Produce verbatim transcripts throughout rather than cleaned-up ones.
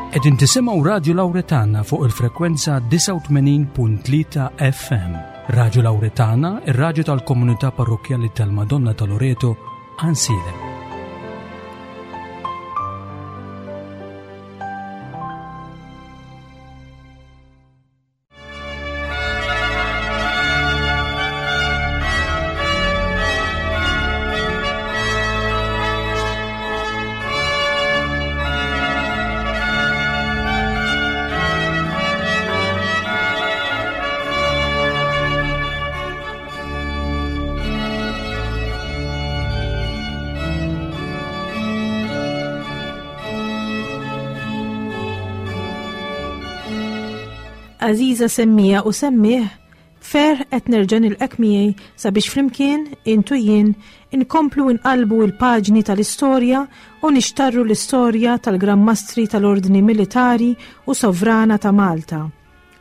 Qegħdin tisimgħu Radio Lauretana fuq il-frekwenza disgħa u tmenin punt tlieta F M. Radio Lauretana, ir-radju tal-komunità parrokjali tal-Madonna ta' Loreto, Għajnsielem. Għażiża semmiegħa u semmiegħ, ferħ qed nerġa' nilqgħek miegħi sabiex flimkien int u jien inkomplu nqalbu il-paġni tal-istorja u nixtarru l-istorja tal-Gran Mastri tal-Ordni Militari u Sovrana ta' Malta.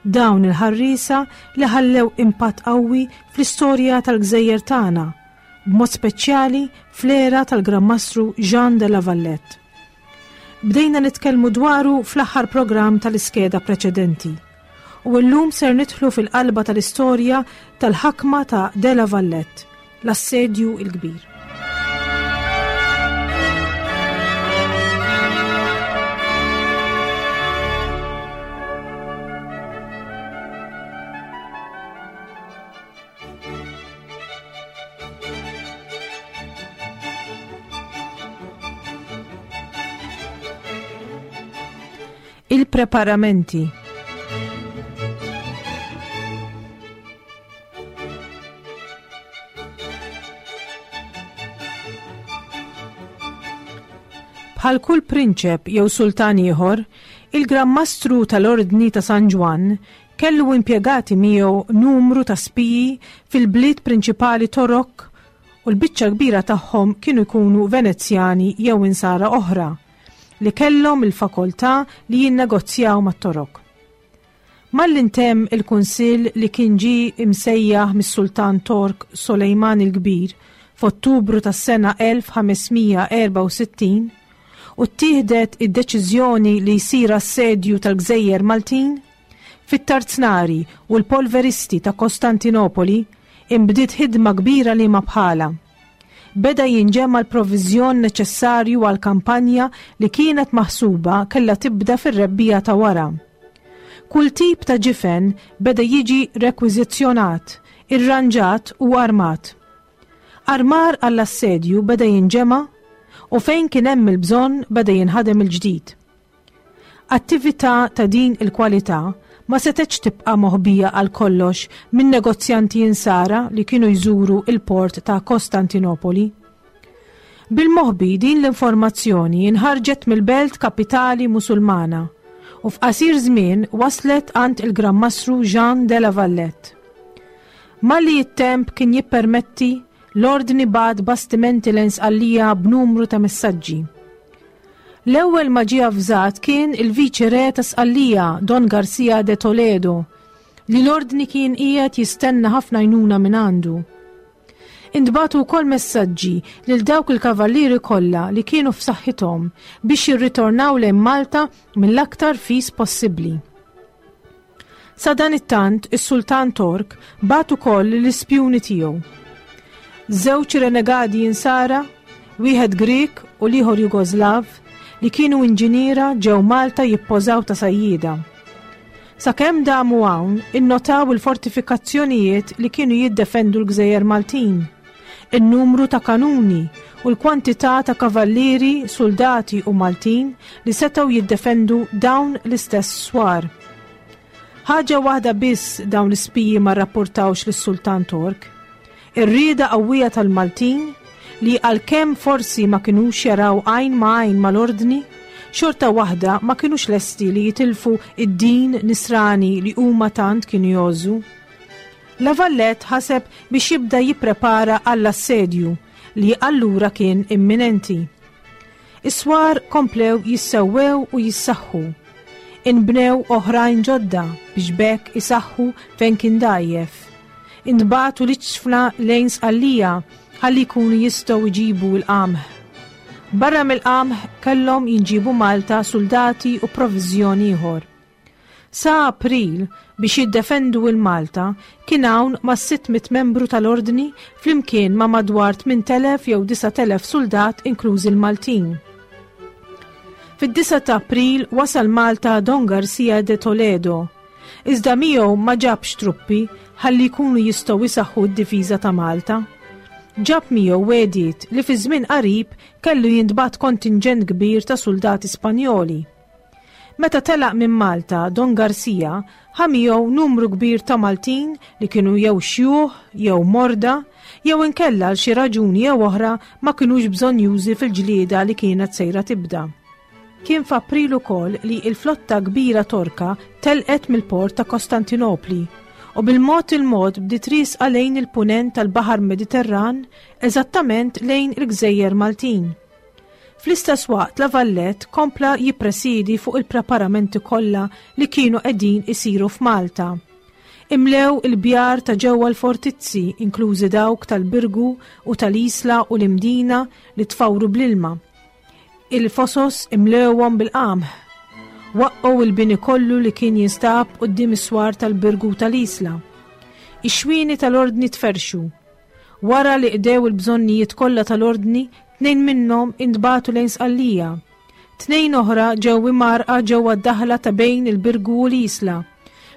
Dawn il-ħarrisa li ħallew impatt qawwi fl-istorja tal-gżejjer tagħna, b'mod speċjali fl-era tal-Gran Mastru Jean de la Valette. Bdejna nitkellmu dwaru fl-aħħar programm tal-iskeda preċedenti u llum ser nidħlu fil-qalba tal-istorja tal-ħakma ta' De La Valette, l-assedju il-kbir. Il-preparamenti. Bħal kull prinċep jew sultan ieħor, il-Gran Mastru tal-Ordni ta' San Ġwann kellu impjegati miegħu numru ta' spiji fil-bliet prinċipali Torok u l-biċċa kbira tagħhom kienu jkunu Venezjani jew insara oħra li kellhom il-fakoltà li jinnegozjaw mat-Torok. Malli ntemm il-kunsill li kien ġi imsejjaħ mis-Sultan Tork Solejman il-Kbir f'Ottubru tas-sena elf ħames mija erbgħa u sittin u ttieħdet id-deċiżjoni li jsir assedju tal-Gżejjer Maltin, fit-Tarznari u l-polveristi ta' Kostantinopoli imbdiet ħidma kbira li ma bħala. Beda jinġema l-provizjon neċessarju għal kampanja li kienet maħsuba kella tibda fir-rebbiegħa ta' wara. Kull tip ta' ġifen beda jiġi rekwiżizzjonat, irranġat u armat. Armar għall-assedju beda jinġema u fejn kien hemm il-bżonn beda jinħadem il-ġdid. Attività ta' din il-kwalità ma setgħetx tibqa' moħbija għal kollox minn negozjanti insara li kienu jżuru il-port ta' Kostantinopoli. Bil-moħbi din l-informazzjoni inħarġet mill-belt kapitali musulmana u f'qasir żmien waslet għand il-Gran Mastru Jean de la Valette. Malli it-temp kien jippermetti, l-ordni bagħat bastimenti lejn Sqallija b'numru ta' messaġġi. L-ewwel ma ġie avżat kien il-viċi re ta' Sqallija, Don Garcia de Toledo, li l-ordni kien qiegħed jistenna ħafna għajnuna minn għandu. Intbagħtu wkoll messaġġi lil dawk il-kavallieri kollha li kienu f'saħħithom biex jirritornaw lejn Malta mill-aktar fis possibbli. Sadanittant, is-Sultan Tork bagħat ukoll l-ispjuni tiegħu. Żewġ renegadi insara, wieħed Grek u l-ieħor Jugoslav, li kienu inġiniera, ġew Malta jippożaw ta' sajjida. Sakemm damu hawn, innotaw il-fortifikazzjonijiet li kienu jiddefendu l-Gżejjer Maltin, in-numru ta' kanuni u l-kwantità ta' kavallieri, soldati u Maltin li setgħu jiddefendu dawn l-istess swar. Ħaġa waħda biss dawn l-ispiji ma rrapportawx lis-Sultan Tork: ir-rieda qawwija tal-Maltin li għalkemm forsi ma kinux jaraw għajn ma għajn mal-ordni, xorta waħda ma kinux lesti li jitilfu id-din nisrani li huma tant kienu jgħożżu. La Valette ħaseb biex jibda jipprepara għall-assedju li allura kien imminenti. Is-swar komplew jissewwew u jissaħħu. Inbnew oħrajn ġodda biex b'hekk isaħħu fejn kien dgħajjef. Intbagħtu l-iġfna lejn Sqallija ħalli jkunu jistgħu jġibu l-qamħ. Barra mill-qamħ kellhom jinġibu Malta suldati u provviżjoni ieħor. Sa April biex jiddefendu il-Malta kien hawn ma' sitt mitt membru tal-ordni flimkien ma' madwar tmint elef jew disa' telef suldat inklużi l-Maltin. Fid-disa ta' April wasal Malta Don Garcia de Toledo. Iżda miegħu ma ġabx truppi ħalli jkunu jistgħu jsaħħu d-difiża ta' Malta. Ġab miegħu wegħdiet li fi żmien qarib kellu jintbagħat kontinġent kbir ta' soldati Spanjoli. Meta telaq minn Malta, Don Garcia ħa miegħu numru kbir ta' Maltin li kienu jew xjuħ, jew morda, jew inkella għal xi raġuni jew oħra ma kinux bżonjużi fil-ġlieda li kienet sejra tibda. Kien f'April ukoll li l-flotta kbira Torka telqet mill-port ta' Kostantinopli u bil-mod il-mod bdiet riesqa lejn il-punent tal-Baħar Mediterran, eżattament lejn il-Gżejjer Maltin. Fl-istess waqt La Valette kompla jippresidi fuq il-preparamenti kollha li kienu qegħdin isiru f'Malta. Imlew il-bjar ta' ġewwa l-fortizzi, inklużi dawk tal-Birgu u tal-Isla u l-Imdina li tfawru bl-ilma. Il-fosos imlewhom bil-qamħ. Waqqgħu il-bini kollu li kien jinstab quddiem is-swar tal-Birgu tal-Isla. Ix-xwieni tal-ordni tferxu. Wara li qdew il-bżonnijiet kollha tal-ordni, tnejn minnhom intbagħtu lejn Sqallija. Tnejn oħra ġew imgħarrqa ġewwa d-daħla ta' bejn il-Birgu u l-Isla,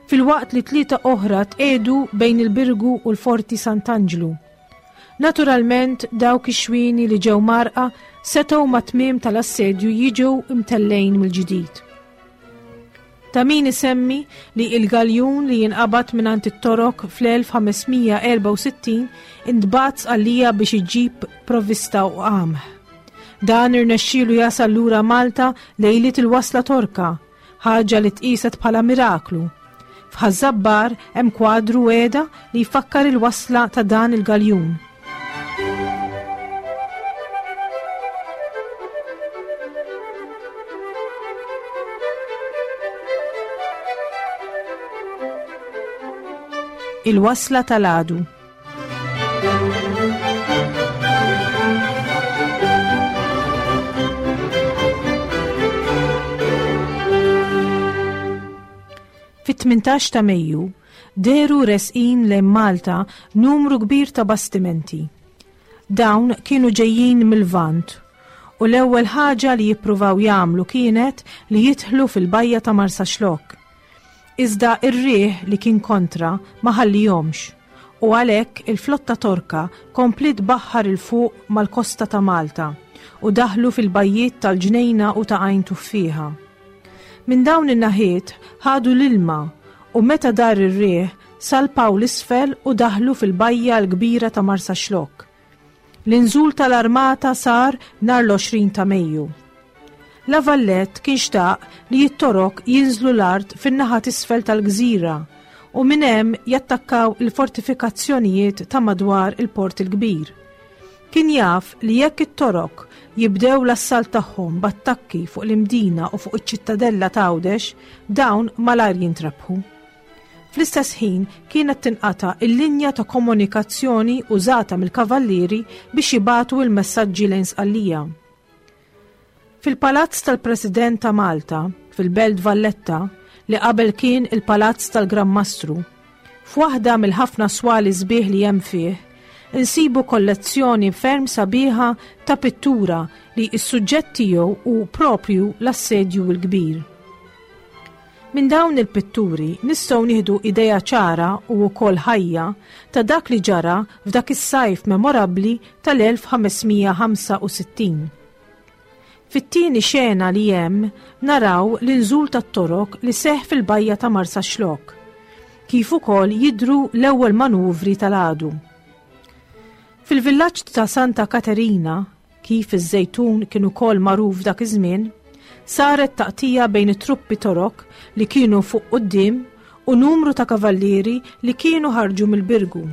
filwaqt li tlieta oħra tqiegħdu bejn il-Birgu u l-Forti Sant'Anġlu. Naturalment dawk ix-xwieni li ġew mgħarrqa setgħu mat-tmiem tal-assedju jiġu imtellejn mill-ġdid. Ta' min isemmi li il-galjun li jinqabad mingħand it-Torok fl-elf ħamesmija erba' u sittin intbagħat Sqallija biex iġib provvista u qamħ. Dan irnexxielu jasal lura Malta lejliet il-wasla Torka, ħaġa li tqiset bħala miraklu. F'Ħaż-Żabbar hemm kwadru qiegħda li jfakkar il-wasla ta' dan il-galjun. Il-wasla tal-għadu. Fit-tmintax ta' Mejju, dehru resqin lejn Malta numru kbir ta' bastimenti. Dawn kienu ġejjin mill-Lvant u l-ewwel ħaġa li jippruvaw jagħmlu kienet li jidħlu fil-bajja ta' Marsaxlokk. Iżda ir-riħ li kien kontra ma ħallihomx u għalhekk il-flotta Torka kompliet baħħar il fuq mal-kosta ta' Malta u daħlu fil-bajjiet tal-Ġnejna u ta' Għajn Tuffieħa. Minn dawn in-naħiet ħadu l-ilma u meta dar ir-riħ salpaw l-isfel u daħlu fil-bajja l-kbira ta' Marsaxlokk. L-inżul tal-armata sar nhar l-għoxrin ta' Mejju. La Valette kien xtaq li t-Torok jinżlu l-art fin-naħa t'isfel tal-gżira u minn hemm jattakkaw il-fortifikazzjonijiet ta' madwar il-Port il-Kbir. Kien jaf li jekk it-Torok jibdew l-assalt tagħhom b'attakki fuq l-Imdina u fuq iċ-ċittadella ta' Għawdex, dawn malajr jintrebħu. Fl-istess ħin kienet tinqata' il-linja ta' komunikazzjoni użata mill-kavallieri biex jibagħtu l-messaġġi lejn Sqallija. Fil-Palazz tal-President ta' Malta, fil-Belt Valletta, li qabel kien il-Palazz tal-Gran Mastru, f'waħda mill-ħafna swali sbieħ li hemm fih, insibu kollezzjoni ferm sabiħa ta' pittura li s-suġġett tiegħu hu propju l-assedju l-kbir. Minn dawn il-pitturi nistgħu nieħdu idea ċara u wkoll ħajja ta' dak li ġara f'dak is-sajf memorabbli tal-elf ħamesmija ħamsa u sittin. Fit-tieni xena li hemm naraw l-inżul tat-Torok li seħħ fil-bajja ta' Marsaxlokk, kif ukoll jidhru l-ewwel manuvri tal-għadu. Fil-villaġġ ta' Santa Katerina, kif iż-Żejtun kien ukoll magħruf dak iż-żmien, saret taqtija bejn it-truppi Torok li kienu fuq quddiem u numru ta' kavallieri li kienu ħarġu mill-Birgu.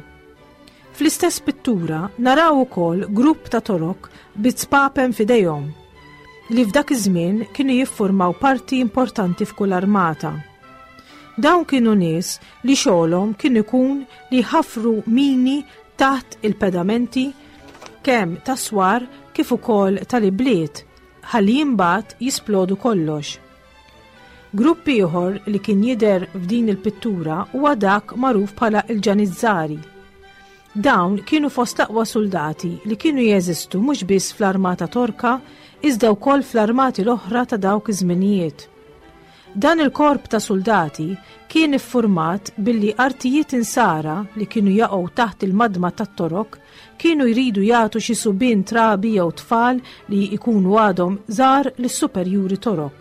Fl-istess pittura naraw ukoll grupp ta' Torok bi spapem f'idejhom, li f'dak iż-żmien kienu jiffurmaw parti importanti f'kull armata. Dawn kienu nies li xogħolhom kien ikun li jħaffru mini taħt il-pedamenti kemm ta' swar kif ukoll tal-ibliet ħalli imbagħad jisplodu kollox. Grupp ieħor li kien jidher f'din il-pittura huwa dak magħruf bħala il-Ġanizzari. Dawn kienu fost l-aqwa soldati li kienu jeżistu mhux biss fl-armata Torka iżda wkoll fl-armati l-oħra ta' dawk iż-żminijiet. Dan il-korp ta' soldati kien iffurmat billi artijiet insara li kienu jaqgħu taħt il-madma tat-Torok kienu jridu jagħtu xi subien trabi jew tfal li jkunu għadhom żgħar lis-superjuri Torok.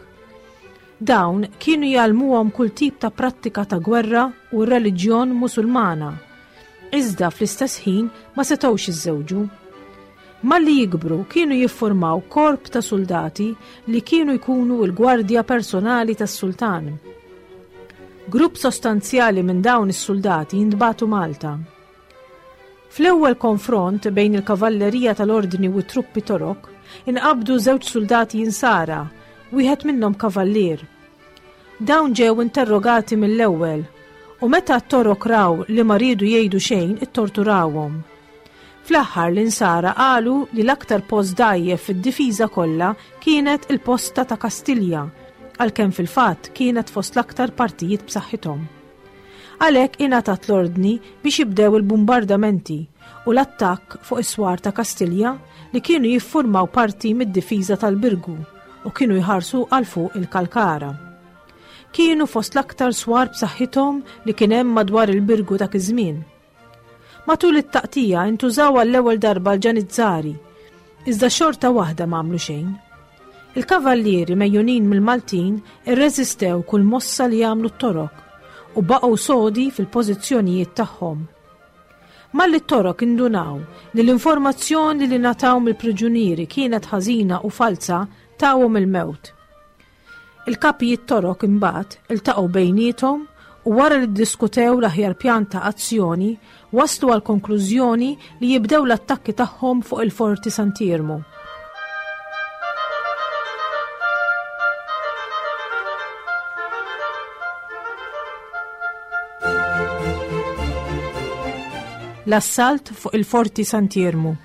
Dawn kienu jgħallmuhom kull tip ta' prattika ta' gwerra u reliġjon Musulmana. Iżda fl-istess ħin ma setgħux jiżżewġu. Malli jikbru kienu jiffurmaw korp ta' soldati li kienu jkunu l-gwardja personali tas-sultan. Grupp sostanzjali minn dawn is-soldati jintbagħtu Malta. Fl-ewwel konfront bejn il-kavallerija tal-Ordni u t-truppi Torok inqabdu żewġ soldati insara, wieħed minnhom kavallier. Dawn ġew interrogati mill-ewwel u meta t-Torok raw li ma riedu jgħidu xejn ittorturawhom. Fl-aħħar l-insara qalu li l-aktar post dgħajjef fid-difiża kollha kienet il-posta ta' Kastilja, għalkemm fil-fatt kienet fost l-aktar partijiet b'saħħithom. Għalhekk ingħatat l-ordni biex jibdew il-bombardamenti u l-attakk fuq is-swar ta' Kastilja li kienu jiffurmaw parti mid-difiża tal-Birgu u kienu jħarsu għal fuq il-Kalkara. Kienu fost l-aktar swar b'saħħithom li kien hemm madwar il-Birgu dak iż-żmien. Matul it-taqtija intużaw għall-ewwel darba l-Ġanizzari, iżda xorta waħda ma għamlu xejn. Il-kavallieri mejjunin mill-Maltin irreżistew kull mossa li għamlu t-Torok u baqgħu sodi fil-pożizzjonijiet tagħhom. Malli t-Torok indunaw li l-informazzjoni li ngħataw mill-priġunieri kienet ħażina u falsa tawhom il-mewt. Il-kapijiet Torok imbagħad iltaqgħu bejniethom u wara li ddiskutew l-aħjar pjan ta' azzjoni waslu għal konklużjoni li jibdew l-attakki tagħhom fuq il-Forti Sant'Iermu. L-assalt fuq il-Forti Sant'Iermu.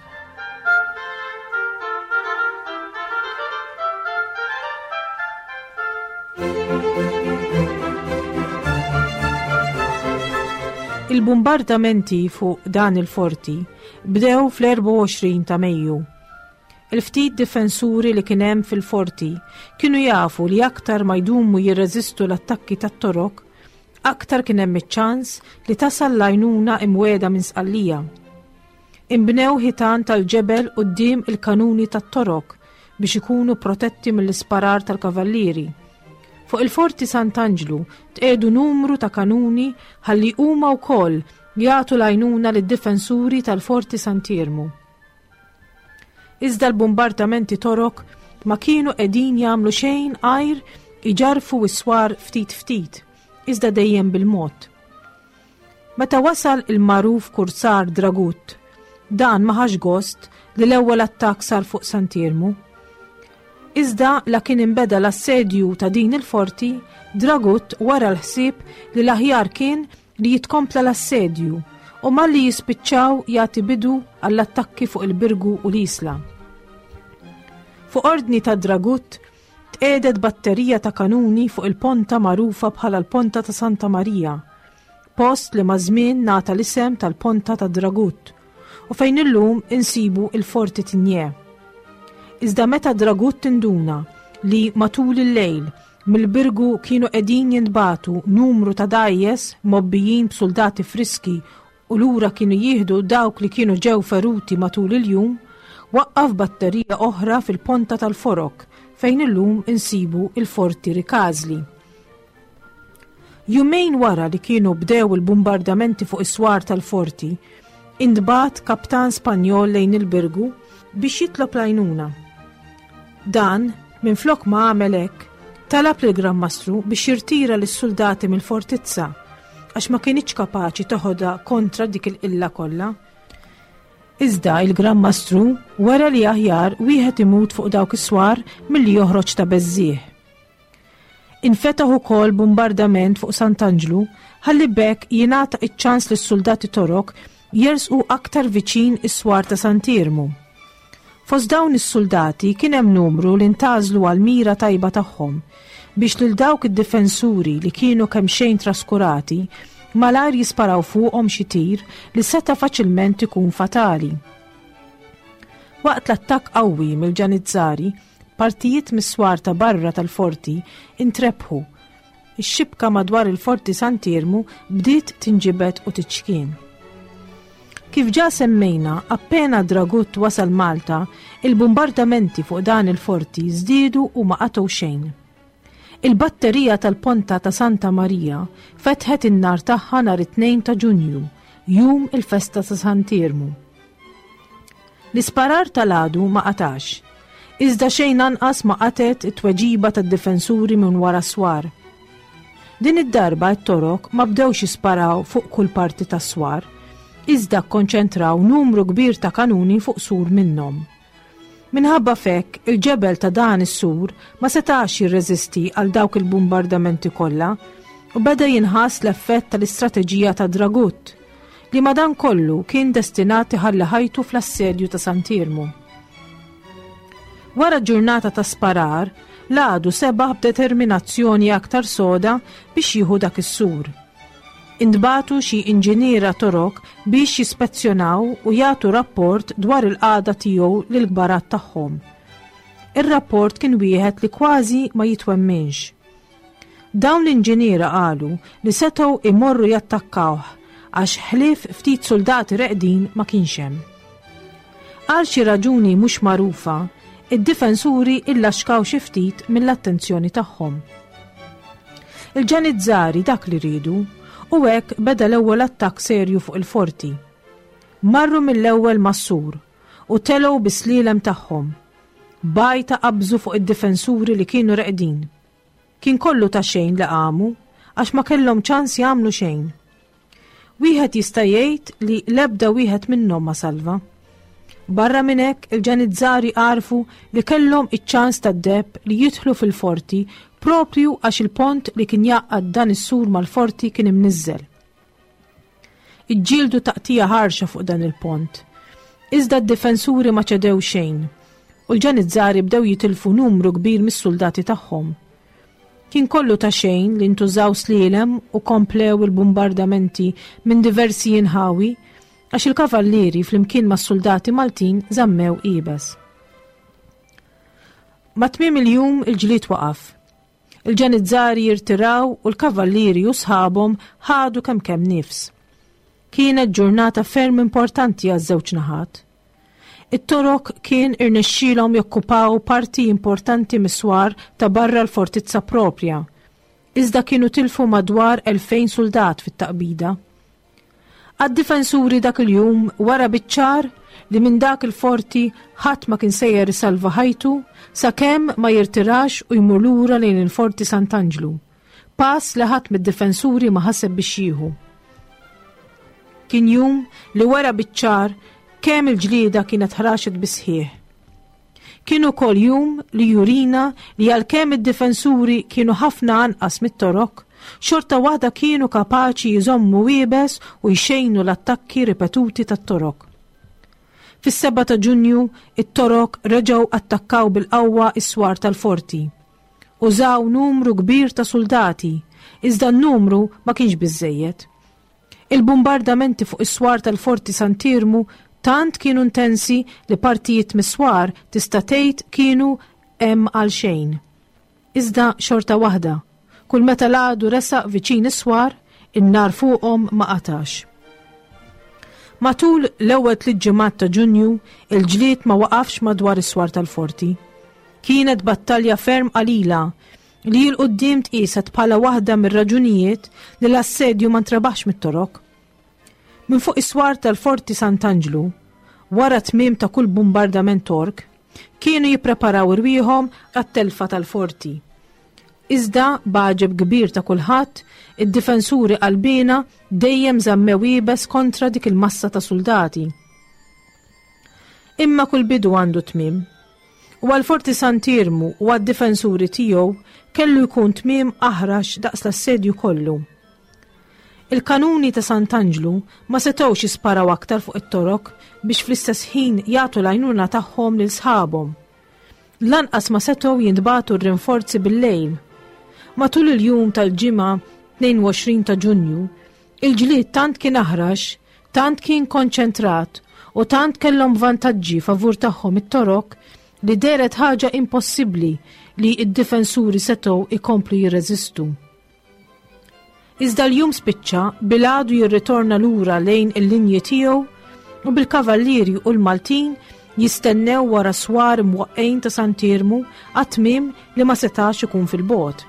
Il-bombardamenti fuq dan il-forti bdew fl-erbgħa u għoxrin ta' Mejju. Il-ftit difensuri li kien hemm fil-forti kienu jafu li aktar ma jdumu jirreżistu l-attakki tat-Torok, aktar kien hemm iċ-ċans li tasal l-għajnuna imwiegħda minn Sqallija. Inbnew ħitan tal-ġebel quddiem il-kanuni tat-Torok biex ikunu protetti mill-isparar tal-kavallieri. Fuq il-Forti Sant'Anġlu tqiegħdu numru ta' kanuni ħalli huma wkoll jagħtu l-għajnuna lid-difensuri tal-Forti Sant'Iermu. Iżda l-bombardamenti Torok ma kienu qegħdin jagħmlu xejn għajr iġarfu s-swar ftit ftit, iżda dejjem bil-mod. Meta wasal il-magħruf kursar Dragut, dan ma ħax gost li l-ewwel attakk sar fuq Sant'Iermu. Iżda la kien inbeda l-assedju ta' din il-forti, Dragut wara l-ħsieb li l-aħjar kien li jitkompla l-assedju u malli jispiċċaw jagħti bidu għall-attakki fuq il-Birgu u l-Isla. Fuq ordni ta' Dragut tqiegħdet batterija ta' kanuni fuq il-ponta magħrufa bħala l-Ponta ta' Santa Marija, post li maż-żmien ngħata l-isem tal-Ponta ta' Dragut u fejn illum insibu il-Forti Tigné. Iżda meta Dragut tinduna li matul il-lejl mill-Birgu kienu qegħdin jintbagħtu numru ta' dgħajjes mobbijin b'soldati friski u lura kienu jieħdu dawk li kienu ġew feruti matul il-jum, waqqaf batterija oħra fil-Ponta tal-Forok fejn illum insibu il-Forti Rikażli. Jumejn wara li kienu bdew il-bombardamenti fuq is-swar tal-forti, intbagħat kaptan Spanjol lejn il-Birgu biex jitlob l-għajnuna. Dan, minflok ma għamel hekk, talab lill Gran Mastru biex jirtira lis-soldati mill-fortizza għax ma kienx kapaċi toħodha kontra dik il-qilla kollha. Iżda il-Gran Mastru wera li aħjar wieħed imut fuq dawk is-swar milli joħroġ ta' beżżieħ. Infetaħ ukoll bombardament fuq Sant'Anġlu ħalli b'hekk jingħata iċ-ċans lis-soldati Torok jersqu aktar viċin is-swar ta' Sant'Iermu. Fost dawn is-suldati kien hemm numru li ntgħażlu għal mira tajba tagħhom biex lil dawk id-difensuri li kienu kemxejn traskurati malajr jisparaw fuqhom xi tir li seta' faċilment ikun fatali. Waqt l-attakk qawwi mill-Ġanizzari, partijiet mis-swar ta' barra tal-forti intrebħu. Ix-xibka madwar il-Forti Sant'Iermu bdiet tinġibed u tiċkien. Kif ġa semmejna, appena Dragut wasal Malta, il-bombardamenti fuq dan il-forti żdiedu u ma qatgħu xejn. Il-batterija tal-Ponta ta' Santa Marija fetħet in-nar tagħha nhar it-tnejn ta' Ġunju, jum il-festa ta' Sant'Iermu. L-isparar tal-għadu ma qatax, iżda xejn anqas ma qatgħet it-tweġiba tad-difensuri minn wara swar. Din id-darba t-Torok ma bdewx jisparaw fuq kull parti tas-swar, iżda kkonċentraw numru kbir ta' kanuni fuq sur minnhom. Minħabba f'hekk, il-ġebel ta' dan is-sur ma setax jirreżisti għal dawk il-bombardamenti kollha u beda jinħass l-effett tal-istrateġija ta' Dragut, li madankollu kien destinat iħalli ħajtu fl-assedju ta' Sant'Iermu. Wara ġurnata ta' sparar, l-għadu sebaħ b'determinazzjoni aktar soda biex jieħu dak is-sur. Intbagħtu xi inġiniera Torok biex jispezzjonaw u jagħtu rapport dwar il-qagħda tiegħu lill-kbarat tagħhom. Ir-rapport kien wieħed li kważi ma jitwemminx. Dawn l-inġiniera qalu li setgħu imorru jattakkawh għax ħlief ftit soldati reqdin ma kienx hemm. Għal xi raġuni mhux magħrufa, id-difensuri illaxkaw xi ftit mill-attenzjoni tagħhom. Il-Ġanizzari dak li riedu u hekk beda l-ewwel attakk serju fuq il-forti. Marru mill-ewwel mas-sur u telgħu bis-slielem tagħhom. Bajta qabżu fuq id-difensuri li kienu reqdin. Kien kollu ta' xejn li qamu għax ma kellhom ċans jagħmlu xejn. Wieħed jista' jgħid li l-ebda wieħed minnhom ma salva. Barra minn hekk, il-Ġanizzari għarfu li kellhom iċ-ċans tad-deheb li jidħlu fil-forti propju għax il-pont li kien jgħaqqad dan is-sur mal-forti kien imniżżel. Iġġieldu taqtija ħarxa fuq dan il-pont. Iżda d-difensuri ma ċedew xejn u l-Ġanizzari bdew jitilfu numru kbir mis-soldati tagħhom. Kien kollu ta' xejn li ntużaw slielem u komplew il-bombardamenti minn diversi inħawi għax il-kavallieri flimkien mas-soldati Maltin żammew iebes. Ma' tmiem il-jum il-ġlied waqaf. Il-Ġanizzari jirtiraw u l-kavallieri u sħabhom ħadu kemm kemm nifs. Kienet ġurnata ferm importanti għaż-żewġ naħat. It-Torok kien irnexxielhom jokkupaw parti importanti mis-swar ta' barra l-fortizza propja, iżda kienu tilfu madwar elfejn soldat fit-taqbida. Għad-difensuri dak il-jum wara biċ-ċar li minn dak il-forti ħadd ma kien sejjer isalva ħajtu sakemm ma jirtirax u jmur lura lejn il-Forti Sant'Anġlu. Pass li ħadd mid-difensuri ma ħaseb biex jieħu. Kien jum li wara biċ-ċar kemm il-ġlieda kienet ħraxet bisħieħ. Kien ukoll jum li jurina li għalkemm id-difensuri kienu ħafna anqas mit-Torok, xorta waħda kienu kapaċi jżommu iebes u jxejnu l-attakki ripetuti tat-Torok. Fis-seba ta' Ġunju, it-Torok reġgħu attakkaw bil-qawwa s-swar tal-forti. Użaw numru kbir ta' soldati, iżda n-numru ma kienx biżżejjed. Il-bombardamenti fuq is-swar tal-Forti Sant'Iermu tant kienu intensi li partijiet mis-swar tista' tgħid kienu hemm għal xejn. Iżda xorta waħda, kull meta l-għadu resaq viċin is-swar, in-nar fuqhom ma qatax. Matul l-ewwel tliet ġimgħat ta' Ġunju, il-ġlied ma waqafx madwar is-swar tal-forti. Kienet battalja ferm qalila li 'l quddiem tqieset bħala waħda mir-raġunijiet li l-assedju ma ntrebaħx mit-Torok. Minn fuq is-swar tal-Forti Sant'Anġlu, wara tmiem ta' kull bombardament Tork, kienu jippreparaw irwieħhom għat-telfa tal-forti. Iżda b'għaġeb kbir ta' kulħadd, id-difensuri qalbina dejjem żammew iebes kontra dik il-massa ta' soldati. Imma kull bidu għandu tmiem. U għal-Forti Sant'Iermu u għad-difensuri tiegħu kellu jkun tmiem aħrax daqs l-assedju kollu. Il-kanuni ta' Sant'Anġlu ma setgħux jisparaw aktar fuq it-Torok biex fl-istess ħin jagħtu l-għajnuna tagħhom lil sħabhom. Lanqas ma setgħu jintbagħtu r-rinforzi bil-lejl. Matul il-jum tal-Ġimgħa tnejn u għoxrin ta' Ġunju, il-ġlied tant kien aħrax, tant kien konċentrat u tant kellhom vantaġġi favur tagħhom it-Torok li dehret ħaġa impossibbli li id-difensuri setgħu ikomplu jirreżistu. Iżda l-jum spiċċa bil-għadu jirritorna lura lejn il-linji tiegħu u bil-kavallieri u l-Maltin jistennew wara swar mwaqqgħin ta' Sant'Iermu għat-tmiem li ma setax ikun fil-bogħod.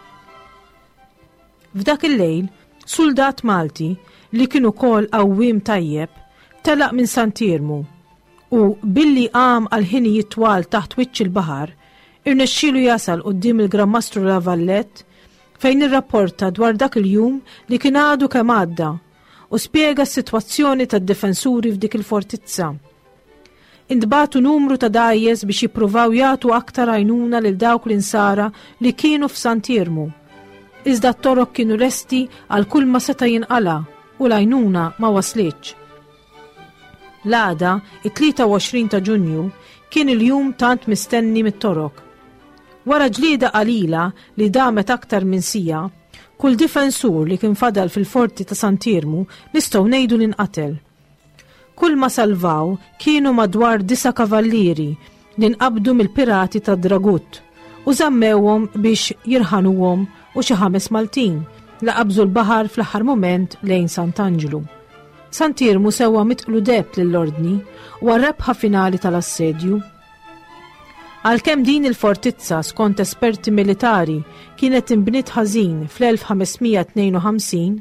F'dak il-lejl, suldat Malti li kien ukoll għawwiem tajjeb telaq minn Sant'Iermu u billi għam għal ħinijiet twal taħt wiċċ il-baħar, irnexxielu jasal quddiem il-Gran Mastru La Vallette, fejn irrapporta dwar dak il-jum li kien għadu kemm għadda u spjega s-sitwazzjoni tad-difensuri f'dik il-fortizza. Intbagħtu numru ta' dgħajjes biex jippruvaw jagħtu aktar għajnuna lil dawk l-insara li kienu f'Sant'Iermu. Iżda t-Torok kienu lesti għal kull ma seta' jinqala u l-għajnuna ma waslitx. L-għada, it-tlieta u għoxrin ta' Ġunju, kien il-jum tant mistenni mit-Torok. Wara ġlieda qalila li damet aktar minn siegħa, kull difensur li kien fadal fil-forti ta' Sant'Iermu nistgħu ngħidu li nqatel. Kull ma salvaw kienu madwar disa' kavallieri li nqabdu mill-pirati ta' Dragut u żammewhom biex jirħanuhom u xi ħames Maltin li qabżu l-baħar fl-aħħar moment lejn Sant'Anġlu. Sant'Iermu sewa mitqlu deheb lill-ordni u għar-rebħa finali tal-assedju. Għalkemm din il-fortizza, skont esperti militari, kienet imbniet ħażin fl-elf ħames mija tnejn u ħamsin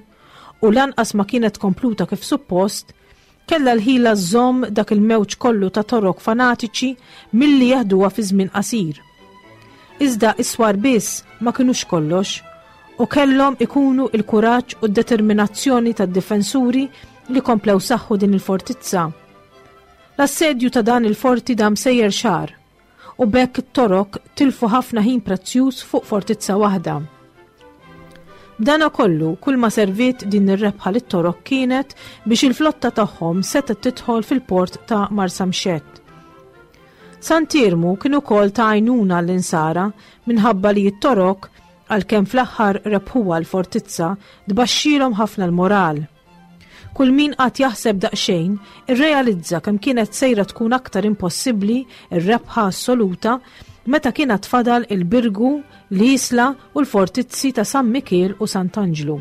u lanqas ma kienet kompluta kif suppost, kella l-ħila żżomm dak il-mewġ kollu ta' Torok fanatiċi milli jeħduha fi żmien qasir. Iżda is-swar biss ma kinux kollox u kellhom ikunu il-kuraġġ u d-determinazzjoni tad-difensuri li komplew saħħu din il-fortizza. L-assedju ta' dan il-forti dam sejjer xahar u b'hekk it-Torok tilfu ħafna ħin prezzjuż fuq fortizza waħda. B'dana kollu, kull ma serviet din ir-rebħa lit-Torok kienet biex il-flotta tagħhom setgħet tidħol fil-port ta' Marsamxett. Sant'Iermu kien ukoll ta' għajnuna l-insara minħabba li t-Torok, għalkemm fl-aħħar rebħuha l-fortizza, tbaxxilhom ħafna l-moral. Kull min qatt jaħseb daqsxejn irrealizza kemm kienet sejra tkun aktar impossibbli ir-rebħa assoluta meta kienet tfadal il-Birgu, l-Isla u l-fortizzi ta' San Mikiel u Sant'Anġlu.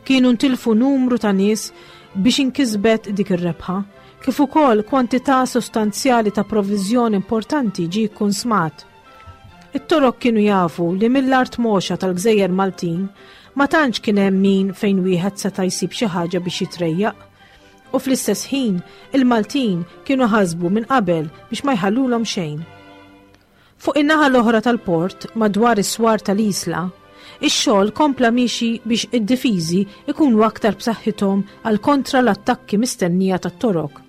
Kienu ntilfu numru ta' nies biex inkisbet dik ir-rebħa, kif ukoll kwantità sostanzjali ta' provviżjoni importanti ġie kkunsmat. It-Torok kienu jafu li mill-art moxa tal-Gżejjer Maltin ma tantx kien hemm min fejn wieħed seta' jsib xi ħaġa biex jitrejjaq. U fl-istess ħin il-Maltin kienu ħasbu minn qabel biex ma jħallulhom xejn. Fuq in-naħa l-oħra tal-port, madwar is-swar tal-Isla, ix-xogħol kompla miexi biex id-difiżi ikunu aktar b'saħħithom għal kontra l-attakki mistennija tat-Torok.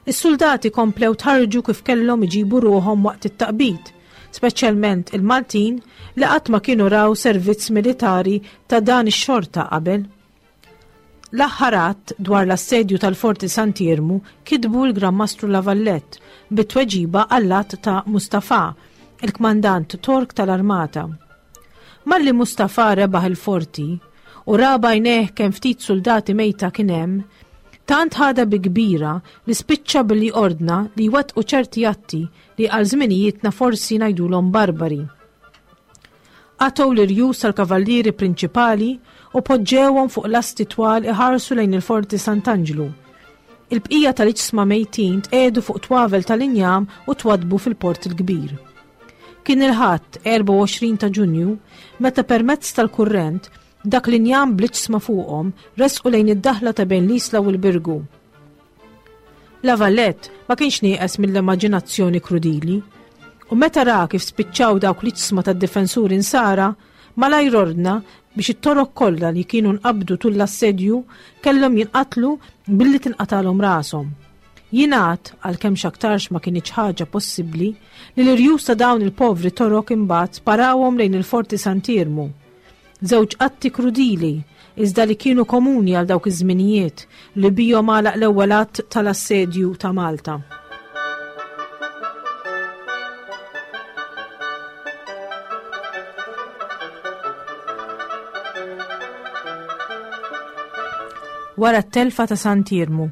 Is-soldati komplew tħarġu kif kellhom iġibu ruħhom waqt it-taqbid, speċjalment il-Maltin li qatt ma kienu raw servizz militari ta' dan ix-xorta qabel. L-aħħar att dwar l-assedju tal-Forti Sant'Iermu kitbu l-Gran Mastru La Vallette bit-tweġiba għall-att ta' Mustafa, il-kmandant Tork tal-Armata. Malli Mustafa rebaħ il-forti u ra b'għajnejh kemm ftit soldati mejta kien hemm, tant ħadha bi kbira li spiċċa billi ordna li jwettqu ċerti atti li għal żminijietna forsi ngħidulhom barbari. Qatgħu l-irjus tal-kavallieri prinċipali u poġġewhom fuq lasti twal iħarsu lejn il-Forti Sant'Anġlu. Il-bqija tal-iġsma mejtin tqiegħdu fuq twavel tal-injam u twadbu fil-Port il-Kbir. Kien il-Ħadd erbgħa u għoxrin ta' Ġunju meta permezz tal-kurrent dak l-injam bl-iġsma fuqhom resqu lejn id-daħla ta' bejn l-Isla u l-Birgu. La Vallette ma kienx nieqes mill-immaġinazzjoni krudili u meta ra kif spiċċaw dawk l-iġsma tad-difensuri nsara, malajr ordna biex it-Torok kollha li kienu nqabdu tul l-assedju kellhom jinqatlu billi tinqatalhom rashom. Jingħad, għalkemm x'aktarx ma kinitx ħaġa possibbli, li l-irjus ta' dawn il-povri Torok imbagħad sparawhom lejn il-Forti Sant'Iermu. Żewġ atti krudili, iżda li kienu komuni għal dawk iż-żminijiet li bihom għalaq l-ewwel att tal-assedju ta' Malta. Wara t-telfa ta' Sant'Iermu.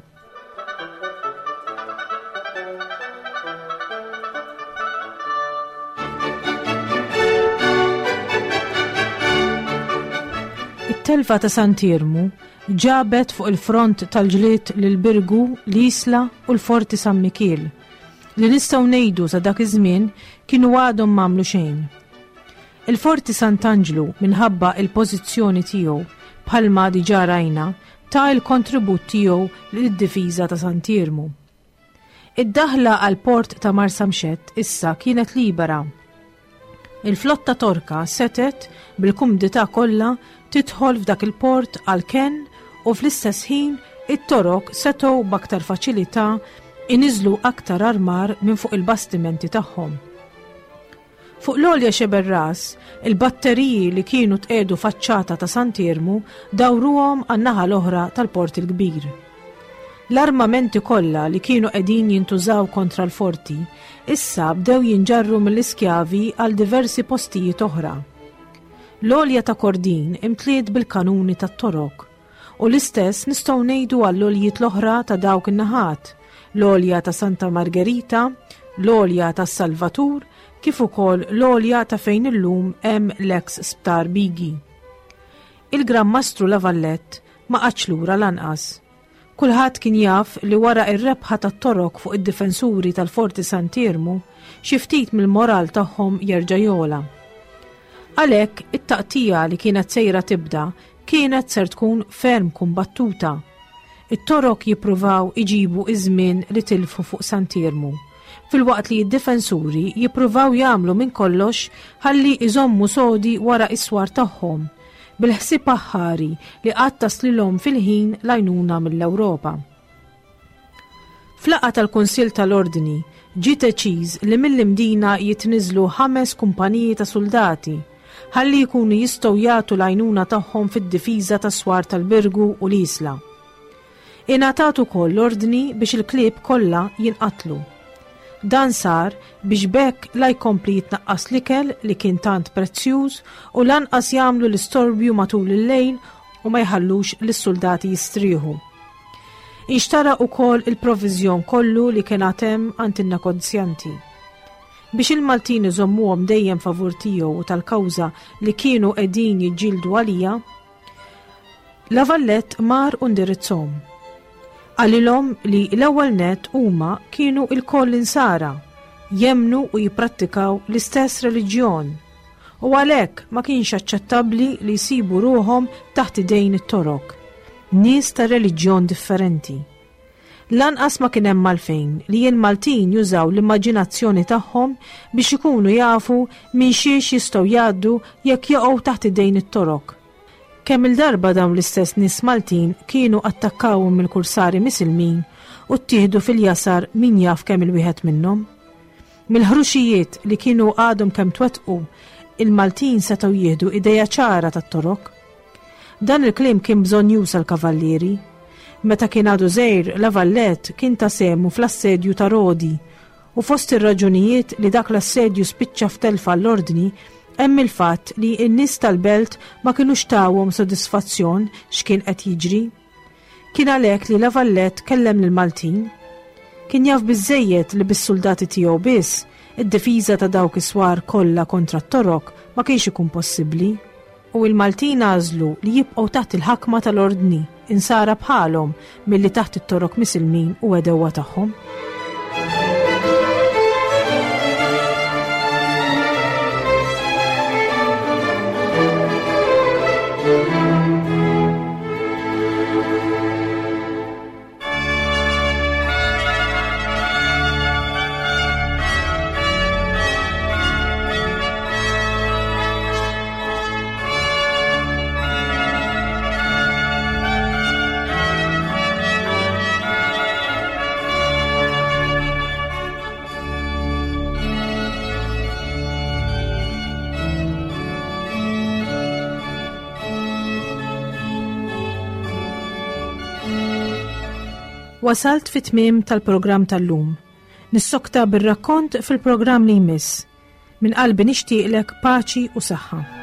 It-telfa ta' Sant'Iermu ġabet fuq il-front tal-ġlied lil Birgu, l-Isla u l-Forti San Mikiel, li nistgħu ngħidu sa dak iż-żmien kienu għadhom m'għamlu xejn. Il-Forti Sant'Anġlu minħabba il-pożizzjoni tiegħu bħalma diġà rajna ta' il-kontribut tiegħu lid-difiża ta' Sant'Iermu. Id-daħla għal port ta' Marsamxett issa kienet libera. Il-flotta Torka setet bil-kumdità kollha tidħol f'dak il-port għal kenn u fl-istess ħin it-Torok setgħu b'aktar faċilità iniżlu aktar armar minn fuq il-bastimenti tagħhom. Fuq l-għolja Xeberras, il-batteriji li kienu tqiegħdu faċċata ta' Sant'Iermu dawruhom għan-naħa l-oħra tal-Port il-Kbir. L-armamenti kollha li kienu qegħdin jintużaw kontra l-forti issa bdew jinġarru mill-iskjavi għal diversi postijiet oħra. L-għolja ta' Kordin imtliet bil-kanuni tat-Torok u l-istess nistgħu ngħidu għall-għoljiet l-oħra ta' dawk in-naħat, l-għolja ta' Santa Margherita, l-għolja ta' Salvatur, kif ukoll l-għolja ta' fejn illum hemm l-eks Sptar Bigi. Il-Gran Mastru La Vallette ma qagħadx lura lanqas. Kulħadd kien jaf li wara ir-rebħa tat-Torok fuq id-difensuri tal-Forti Sant'Iermu, xi ftit mill-moral tagħhom jerġa' jola. Għalhekk it-taqtija li kienet sejra tibda kienet ser tkun ferm kumbattuta. It-Torok jippruvaw iġibu iż-żmien li tilfu fuq Sant'Iermu, filwaqt li d-difensuri jippruvaw jagħmlu minn kollox ħalli iżommu sodi wara is-swar tagħhom, bil-ħsieb aħħari li qatt taslilhom fil-ħin l-għajnuna mill-Ewropa. F'laqgħa tal-Kunsill tal-Ordni ġie deċiż li mill-Imdina jitniżlu ħames kumpaniji ta' soldati ħalli jkunu jistgħu jagħtu l-għajnuna tagħhom fid-difiża tas-swar tal-Birgu u l-Isla. Ingħatat ukoll l-ordni biex il-klieb kollha jinqatlu. Dan sar biex b'hekk la jkompli jitnaqqas l-ikel li kien tant prezzjuż u lanqas jagħmlu l-istorbju matul il-lejl u ma jħallux lis-soldati jistrieħu. Inxtara ukoll il-proviżjon kollu li kien għad hemm għand in-negozjanti. Biex il-Maltin iżommuhom dejjem favur tiegħu u tal-kawża li kienu qegħdin jiġġieldu għalija, La Vallette mar u ndirizzhom. Qalilhom li l-ewwel net huma kienu lkoll insara, jemmnu u jipprattikaw l-istess reliġjon, u għalhekk ma kienx aċċettabbli li jsibu ruħhom taħt idejn it-Torok, nies ta' reliġjon differenti. Lanqas ma kien hemm għalfejn li l-Maltin jużaw l-immaġinazzjoni tagħhom biex ikunu jafu minn xiex jistgħu jgħaddu jekk jaqgħu taħt idejn it-Torok. Kemm il-darba dawn l-istess nies Maltin kienu attakkawhom mill-kursari misilmin u ttieħdu fil-jasar min jaf kemm il-wieħed minnhom. Mill-ħruxijiet li kienu għadhom kemm twettqu, il-Maltin setgħu jieħdu ideja ċara tat-Torok. Dan il-kliem kien bżonjuż għall-kavallieri. Meta kien għadu żgħir, La Vallette kien ta' sehmu fl-assedju ta' Rodi u fost ir-raġunijiet li dak l-assedju spiċċa f'telfa l-ordni hemm il-fatt li n-nies tal-belt ma kinux tawhom sodisfazzjon x'kien qed jiġri. Kien għalhekk li La Vallette kellem lill-Maltin. Kien jaf biżżejjed li bis-soldati tiegħu biss id-difiża ta' dawk is-swar kollha kontra t-Torok ma kienx ikun possibbli, u l-Maltin għażlu li jibqgħu taħt il-ħakma tal-ordni insara bħalhom milli taħt it-Torok misilmin u għedewwa tagħhom. Wasalt fit-tmiem tal-programm tal-lum. Nissokta bir-rakkont fil-programm li jmiss. Minn qalbi nixtieqlek paċi u saħħa.